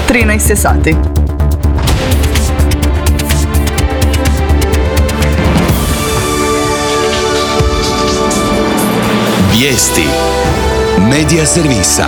13 je sati. Vijesti Medija servisa.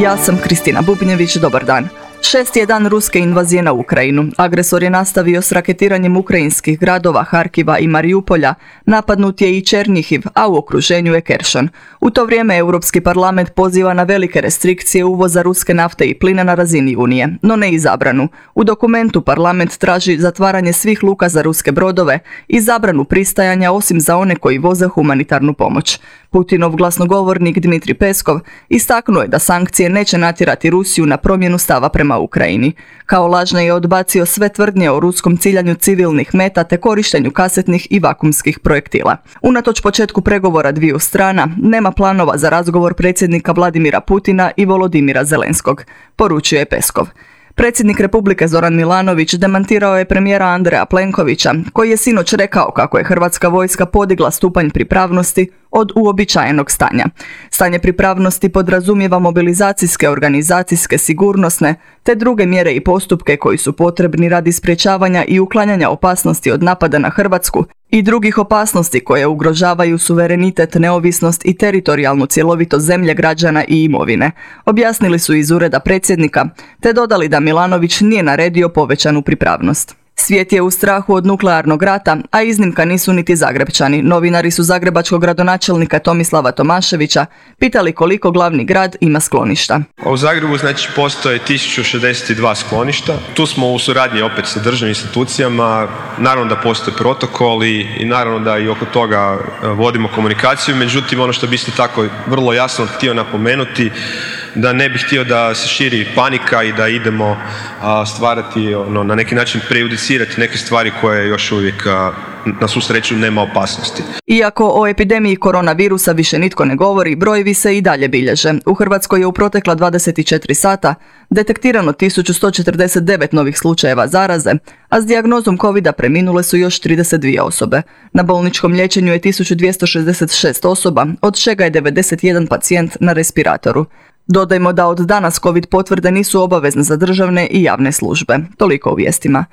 Ja sam Kristina Bubnjević, dobar dan. 6. je dan ruske invazije na Ukrajinu. Agresor je nastavio s raketiranjem ukrajinskih gradova Harkiva i Mariupolja, napadnut je i Černjihiv, a u okruženju je Keršan. U to vrijeme Europski parlament poziva na velike restrikcije uvoza ruske nafte i plina na razini Unije, no ne i zabranu. U dokumentu parlament traži zatvaranje svih luka za ruske brodove i zabranu pristajanja osim za one koji voze humanitarnu pomoć. Putinov glasnogovornik Dmitrij Peskov istaknuo je da sankcije neće natjerati Rusiju na promjenu stava prema Ukrajini. Kao lažne je odbacio sve tvrdnje o ruskom ciljanju civilnih meta te korištenju kasetnih i vakumskih projektila. Unatoč početku pregovora dviju strana, nema planova za razgovor predsjednika Vladimira Putina i Volodimira Zelenskog, poručio je Peskov. Predsjednik Republike Zoran Milanović demantirao je premijera Andreja Plenkovića, koji je sinoć rekao kako je hrvatska vojska podigla stupanj pripravnosti od uobičajenog stanja. Stanje pripravnosti podrazumijeva mobilizacijske, organizacijske, sigurnosne te druge mjere i postupke koji su potrebni radi sprječavanja i uklanjanja opasnosti od napada na Hrvatsku i drugih opasnosti koje ugrožavaju suverenitet, neovisnost i teritorijalnu cjelovitost zemlje, građana i imovine, objasnili su iz ureda predsjednika, te dodali da Milanović nije naredio povećanu pripravnost. Svijet je u strahu od nuklearnog rata, a iznimka nisu niti Zagrepčani. Novinari su zagrebačkog gradonačelnika Tomislava Tomaševića pitali koliko glavni grad ima skloništa. U Zagrebu postoje 1062 skloništa. Tu smo u suradnji opet sa državnim institucijama. Naravno da postoje protokoli i naravno da i oko toga vodimo komunikaciju. Međutim, ono što bi isto tako vrlo jasno htio napomenuti, da ne bih htio da se širi panika i da idemo stvarati, na neki način prejudicirati neke stvari koje još uvijek na svu sreću nema opasnosti. Iako o epidemiji koronavirusa više nitko ne govori, brojevi se i dalje bilježe. U Hrvatskoj je u protekla 24 sata detektirano 1149 novih slučajeva zaraze, a s dijagnozom covida preminule su još 32 osobe. Na bolničkom liječenju je 1266 osoba, od čega je 91 pacijent na respiratoru. Dodajmo da od danas COVID potvrde nisu obavezne za državne i javne službe. Toliko u vijestima.